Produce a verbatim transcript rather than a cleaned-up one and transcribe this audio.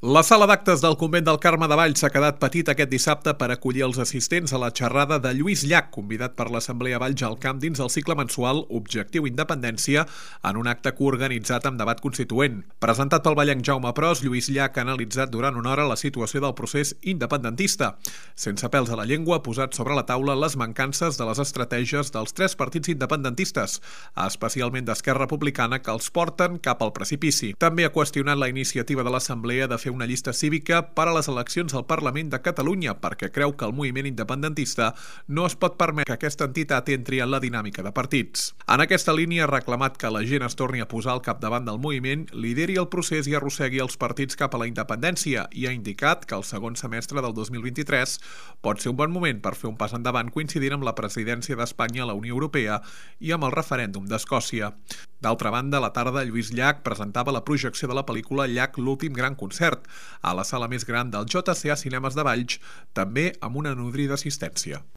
La sala d'actes del convent del Carme de Valls s'ha quedat petita aquest dissabte per acollir els assistents a la xerrada de Lluís Llach, convidat per l'Assemblea Valls al Camp dins el cicle mensual Objectiu Independència, en un acte coorganitzat amb debat constituent. Presentat pel vallenc Jaume Pros, Lluís Llach ha analitzat durant una hora la situació del procés independentista. Sense pèls a la llengua, ha posat sobre la taula les mancances de les estratègies dels tres partits independentistes, especialment d'Esquerra Republicana, que els porten cap al precipici. També ha qüestionat la iniciativa de l'Assemblea de fer una llista cívica per a les eleccions al Parlament de Catalunya perquè creu que el moviment independentista no es pot permetre que aquesta entitat entri en la dinàmica de partits. En aquesta línia ha reclamat que la gent es torni a posar al capdavant del moviment, lideri el procés i arrossegui els partits cap a la independència, i ha indicat que el segon semestre del dos mil vint-i-tres pot ser un bon moment per fer un pas endavant coincidint amb la presidència d'Espanya a la Unió Europea i amb el referèndum d'Escòcia. D'altra banda, a la tarda, Lluís Llach presentava la projecció de la pel·lícula Llach, l'últim gran concert, a la sala més gran del J C A Cinemes de Valls, també amb una nodrida assistència.